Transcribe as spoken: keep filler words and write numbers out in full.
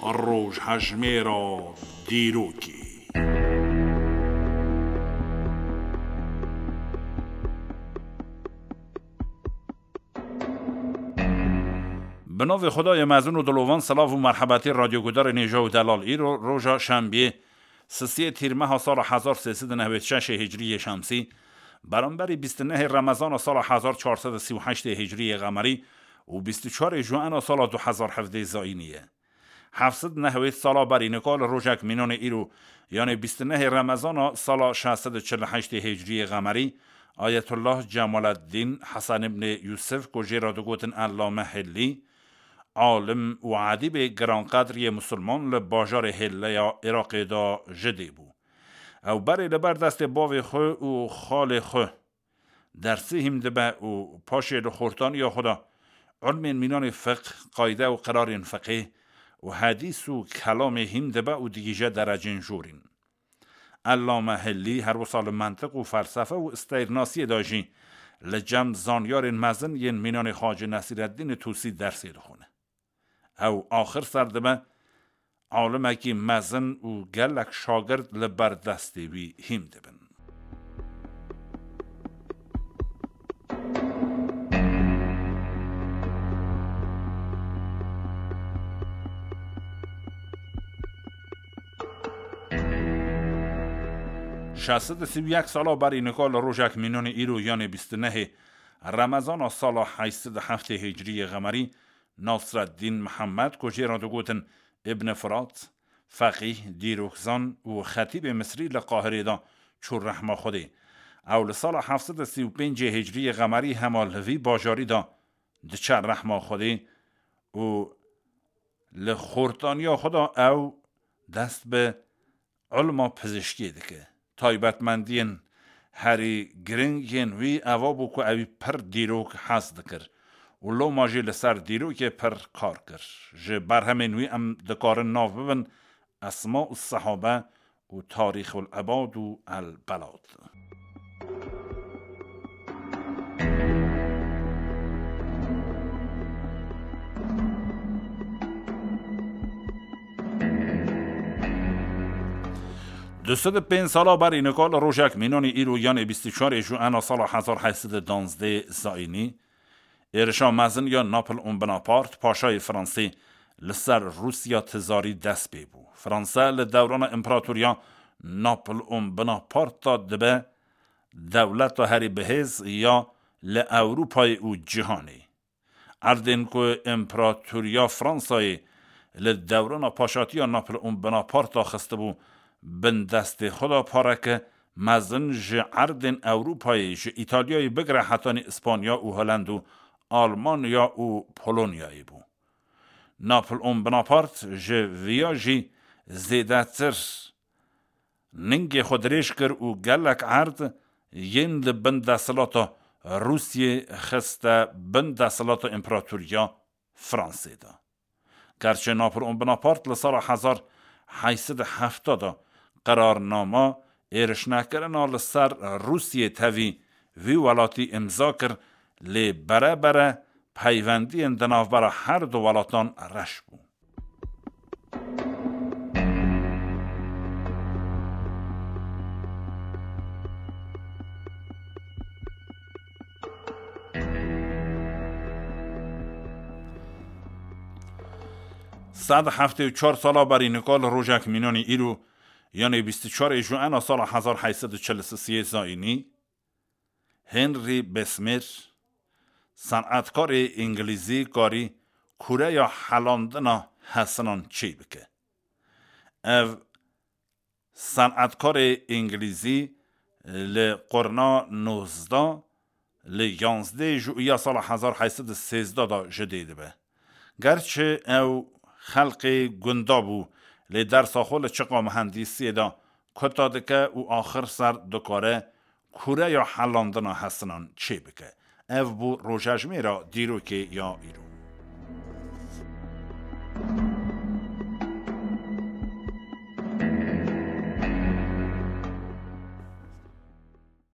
Rojhejmêra dîrokê. Bi navê Xwedayê mezin û dilovan, silav û merhebetê radyogudarê nêja û delal. Îro roja şembiyê, sisiyê tîrmeha sala hezar sê sed û nehwêd şeşê hicriyê şemsî, beramberî bîst û nehê remezana sala hezar çar sed û sî û heştê hicriyê qemerî û bîst û çarê juena sala du hezar hevdê zayînî ye. Heft sed nehwêd sala berî nika li rojek mînanê îro, yanê bîst û nehê remezana sala şeş sed û çil û heştê hicriyê qemerî, Ayetullah Cemaleddîn Hesen ibnê Yûsif, ku jê re digotin Ellame Hillî, alim û edîbê giranqedr yê misilman, li bajarê Hêlle ya Iraqê de ji dê bû. Ew berê li ber destê bavê xwe û xalê xwe dersê hîm dibe û paşê li xortaniya xwe de ilmên mînanê fiqh, qayde û qirarên fiqhê û hedîs û kelamê hîm dibe û digihîje derecên jorîn. Ellame Hillî her wisa li mentiq û felsefe û steyrnasiyê de jî li cem zanyarên mezin yên mînanê Xacî Nesîreddînê Tusî dersê dixwine. Ew axir ser dibe alimekî mezin û gelek şagird li ber destê wî hîm dibin. Şeş sed û sî û yek sala berî nika li rojek mînanê îro, yanê bîst û nehê remezana sala heşt sed û heftê hicriyê qemerî, Nasreddîn Mihemed, ku jê re digotin Ibn Firat, feqîh, dîrokzan û xetîbê Misrî, li Qahirê de çû rehma Xwedê. Ew li sala heft sed û sî û pêncê hicriyê qemerî hema li vî bajarî de diçe rehma Xwedê û li xortaniya xwe de ew dest bi ilma pizîşkiyê dike. Taybetmendiyên herî giring yên wî eva bû ku ewî pir dîrok hez dikir û loma jî li ser dîrokê pir kar kir. Ji berhemên wî em dikarin nav bibin Esma û Sehabe û Tarîxul Ebad û El Belad. Du sed û pênc sala berî nika li rojek mînanî îro, yanê bîst û çarê Juena sala hezar heyt sed û danzdeh zayînî, êrişa mezin ya Napoleon Bonaparte, paşayê Fransê, li ser Rûsya tizarî dest pê bû. Fransa li dewrana împeratoriya Napoleon Bonaparte de dibe dewleta herî bihêz ya li Ewropayê û cîhanê. Erdên ku împeratoriya Fransayê li dewrana paşatiya Napoleon Bonaparte xistibû bin destê xwe de, pareke mezin ji erdên Ewropayê, ji Îtalyayê bigire hetanî Îspanya û Holland û Almanya û Polonyayê bû. Napoleon Bonaparte ji viya jî zêdetir ningê xwe dirêj kir û gelek erd yên li bin desthilata Rûsiyê xiste bin desthilata împeratoriya Fransê de. Gerçi Napoleon Bonaparte li sala hezar heyt sed û hefta de qerarnama êrişnekirina li ser Rûsiyê tevî vî welatî îmza kir, lê bere bere peywendiyên di navbera her du welatan reş bû. Sed heftê û çar sala berî nika li rojek mînanî îro, yanê bîst û çarê Juena sala hezar heyt sed û çil û sê zayînî, Henry Bessemer, senetkarê îngilîzî, karî kureya helandina hesinan çê bike. Ev senetkarê îngilîzî li qurna nozdeh, li yanzdeh Juya sala hezar heyt sed û sêzdeh de ji dê dibe. Gerçi ew xelqê gunda bû, lê dersa xwe li çiqa mihendîsiyê de kuta dike û axir ser dikare kureya helandina hesinan çê bike. Ev bû rojejmêra dîrokê ya îro.